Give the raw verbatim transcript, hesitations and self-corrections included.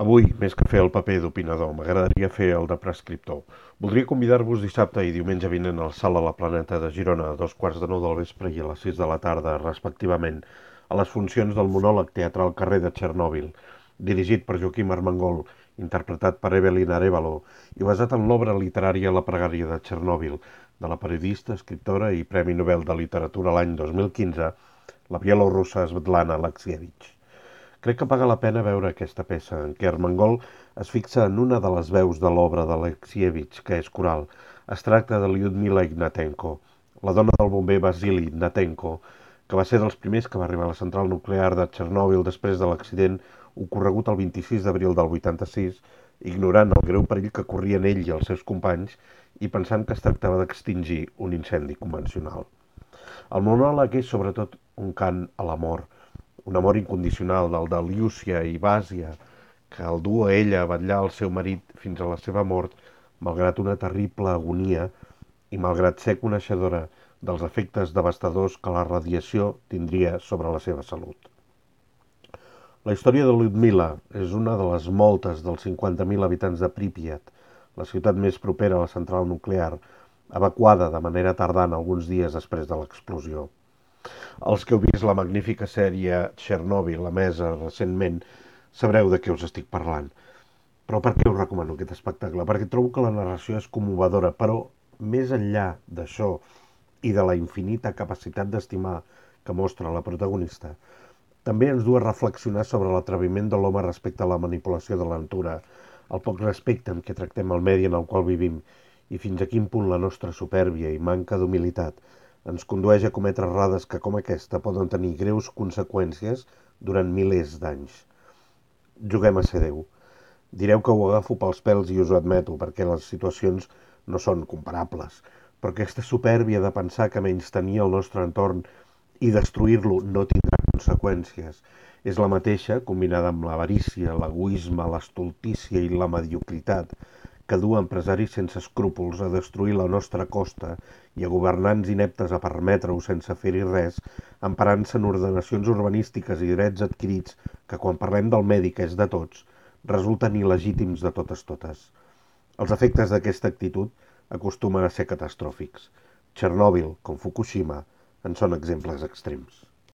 Avui, més que fer el paper d'opinador, m'agradaria fer el de prescriptor. Voldria convidar-vos dissabte i diumenge vinent al Sala La Planeta de Girona a dos quarts de nou del vespre i a les sis de la tarda, respectivament, a les funcions del monòleg teatral Carrer de Txernòbil, dirigit per Joaquim Armengol, interpretat per Evelyn Arévalo i basat en l'obra literària La pregària de Txernòbil, de la periodista, escriptora i Premi Nobel de Literatura l'any dos mil quinze, la bielorrussa Svetlana Alexievich. Crec que paga la pena veure aquesta peça, en què Armengol es fixa en una de les veus de l'obra d'Alexievich, que és coral. Es tracta de Lyudmila Ignatenko, la dona del bomber Vasily Ignatenko, que va ser dels primers que va arribar a la central nuclear de Txernòbil després de l'accident ocorregut el vint-i-sis d'abril del vuitanta-sis, ignorant el greu perill que corrien ell i els seus companys i pensant que es tractava d'extingir un incendi convencional. El monòleg és sobretot un cant a l'amor, un amor incondicional del de Llúcia i Bàsia, que el du a ella a vetllar el seu marit fins a la seva mort, malgrat una terrible agonia i malgrat ser coneixedora dels efectes devastadors que la radiació tindria sobre la seva salut. La història de Lyudmila és una de les moltes dels cinquanta mil habitants de Pripyat, la ciutat més propera a la central nuclear, evacuada de manera tardana alguns dies després de l'explosió. Els que heu vist la magnífica sèrie Txernòbil, emesa recentment, sabreu de què us estic parlant. Però per què us recomano aquest espectacle? Perquè trobo que la narració és commovedora, però més enllà d'això i de la infinita capacitat d'estimar que mostra la protagonista, també ens du a reflexionar sobre l'atreviment de l'home respecte a la manipulació de la natura, el poc respecte amb què tractem el medi en el qual vivim i fins a quin punt la nostra supèrbia i manca d'humilitat ens condueix a cometre errades que, com aquesta, poden tenir greus conseqüències durant milers d'anys. Juguem a ser Déu. Direu que ho agafo pels pèls i us ho admeto, perquè les situacions no són comparables, però aquesta supèrbia de pensar que menystenir el nostre entorn i destruir-lo no tindrà conseqüències és la mateixa, combinada amb l'avarícia, l'egoisme, l'estultícia i la mediocritat, que du empresaris sense escrúpols a destruir la nostra costa i a governants ineptes a permetre-ho sense fer-hi res, emparant-se en ordenacions urbanístiques i drets adquirits que, quan parlem del medi que és de tots, resulten il·legítims de totes totes. Els efectes d'aquesta actitud acostumen a ser catastròfics. Txernòbil, com Fukushima, en són exemples extrems.